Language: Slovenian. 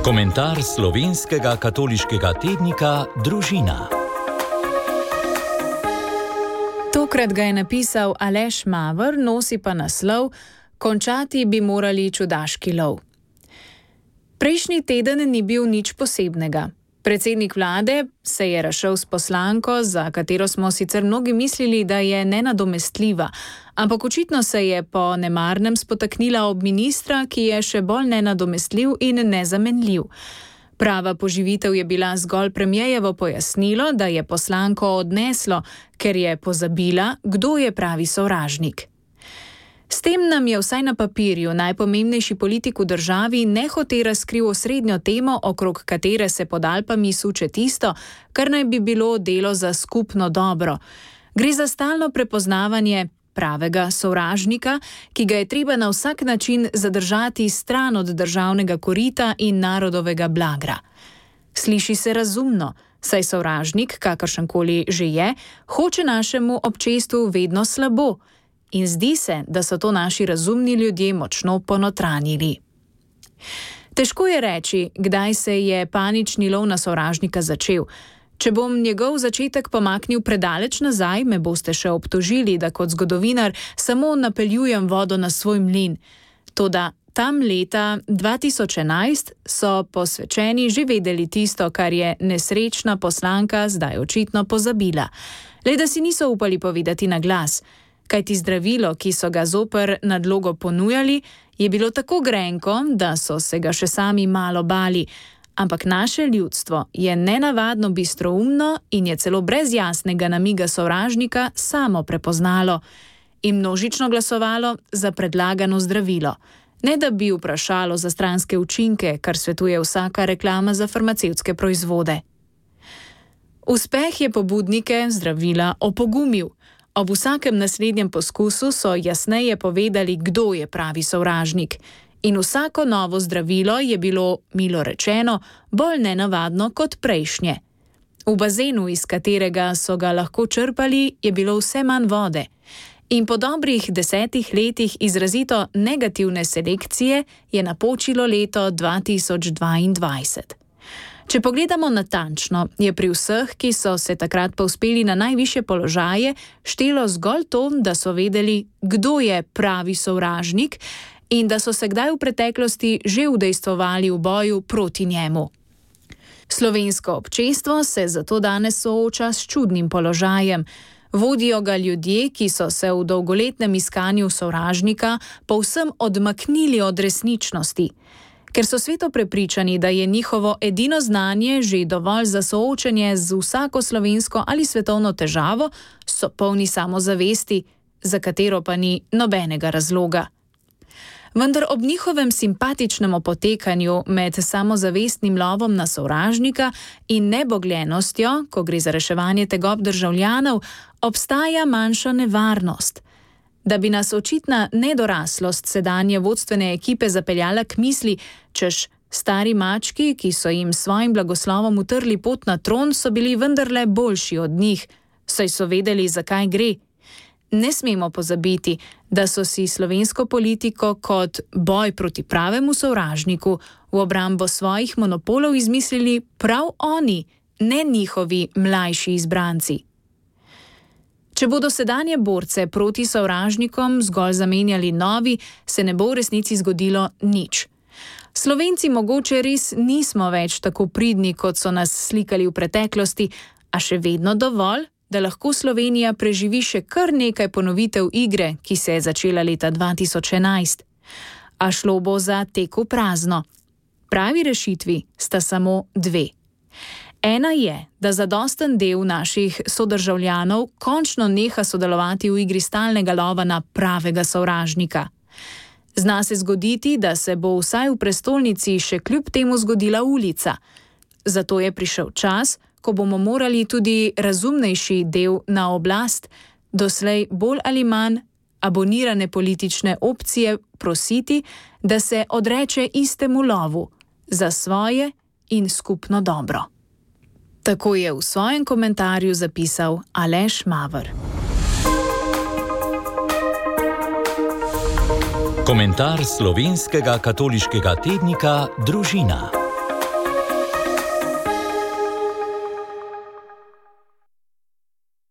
Komentar slovenskega katoliškega tednika Družina. Tokrat ga je napisal Aleš Maver, nosi pa naslov Končati bi morali čudaški lov. Prejšnji teden ni bil nič posebnega. Predsednik vlade se je razšel s poslanko, za katero smo sicer mnogi mislili, da je nenadomestljiva, ampak očitno se je po nemarnem spotaknila ob ministra, ki je še bolj nenadomestljiv in nezamenljiv. Prava poživitev je bila zgolj premierjevo pojasnilo, da je poslanko odneslo, ker je pozabila, kdo je pravi sovražnik. S tem nam je vsaj na papirju najpomembnejši politik v državi nehote razkril osrednjo temo, okrog katere se pod Alpami suče tisto, kar naj bi bilo delo za skupno dobro. Gre za stalno prepoznavanje pravega sovražnika, ki ga je treba na vsak način zadržati stran od državnega korita in narodovega blagra. Sliši se razumno, saj sovražnik, kakršenkoli že je, hoče našemu občestvu vedno slabo. In zdi se, da so to naši razumni ljudje močno ponotranjili. Težko je reči, kdaj se je panični lov na sovražnika začel. Če bom njegov začetek pomaknil predaleč nazaj, me boste še obtožili, da kot zgodovinar samo napeljujem vodo na svoj mlin. Toda tam leta 2011 so posvečeni že vedeli tisto, kar je nesrečna poslanka zdaj očitno pozabila. Le da si niso upali povedati na glas. Kajti zdravilo, ki so ga zoper nadlogo ponujali, je bilo tako grenko, da so se ga še sami malo bali. Ampak naše ljudstvo je nenavadno bistroumno in je celo brez jasnega namiga sovražnika samo prepoznalo in množično glasovalo za predlagano zdravilo. Ne da bi vprašalo za stranske učinke, kar svetuje vsaka reklama za farmacevtske proizvode. Uspeh je pobudnike zdravila opogumil. Ob vsakem naslednjem poskusu so jasneje povedali, kdo je pravi sovražnik. In vsako novo zdravilo je bilo, milo rečeno, bolj nenavadno kot prejšnje. V bazenu, iz katerega so ga lahko črpali, je bilo vse manj vode. In po dobrih 10 letih izrazito negativne selekcije je napočilo leto 2022. Če pogledamo natančno, je pri vseh, ki so se takrat povzpeli na najvišje položaje, štelo zgolj to, da so vedeli, kdo je pravi sovražnik in da so se kdaj v preteklosti že udejstvovali v boju proti njemu. Slovensko občestvo se zato danes sooča s čudnim položajem. Vodijo ga ljudje, ki so se v dolgoletnem iskanju sovražnika povsem odmaknili od resničnosti. Ker so sveto prepričani, da je njihovo edino znanje že dovolj za soočenje z vsako slovensko ali svetovno težavo, so polni samozavesti, za katero pa ni nobenega razloga. Vendar ob njihovem simpatičnem opotekanju med samozavestnim lovom na sovražnika in nebogljenostjo, ko gre za reševanje tegob državljanov, obstaja manjša nevarnost. Da bi nas očitna nedoraslost sedanje vodstvene ekipe zapeljala k misli, češ stari mački, ki so jim svojim blagoslovom utrli pot na tron, so bili vendarle boljši od njih, saj so vedeli, zakaj gre. Ne smemo pozabiti, da so si slovensko politiko kot boj proti pravemu sovražniku v obrambo svojih monopolov izmislili prav oni, ne njihovi mlajši izbranci. Če bodo sedanje borce proti sovražnikom zgolj zamenjali novi, se ne bo v resnici zgodilo nič. Slovenci mogoče res nismo več tako pridni, kot so nas slikali v preteklosti, a še vedno dovolj, da lahko Slovenija preživi še kar nekaj ponovitev igre, ki se je začela leta 2011. A šlo bo za tek v prazno. Pravi rešitvi sta samo dve. Ena je, da zadosten del naših sodržavljanov končno neha sodelovati v igri stalnega lova na pravega sovražnika. Zna se zgoditi, da se bo vsaj v prestolnici še kljub temu zgodila ulica. Zato je prišel čas, ko bomo morali tudi razumnejši del na oblast, doslej bolj ali manj abonirane politične opcije, prositi, da se odreče istemu lovu za svoje in skupno dobro. Tako je v svojem komentarju zapisal Aleš Maver. Komentar slovenskega katoliškega tednika Družina.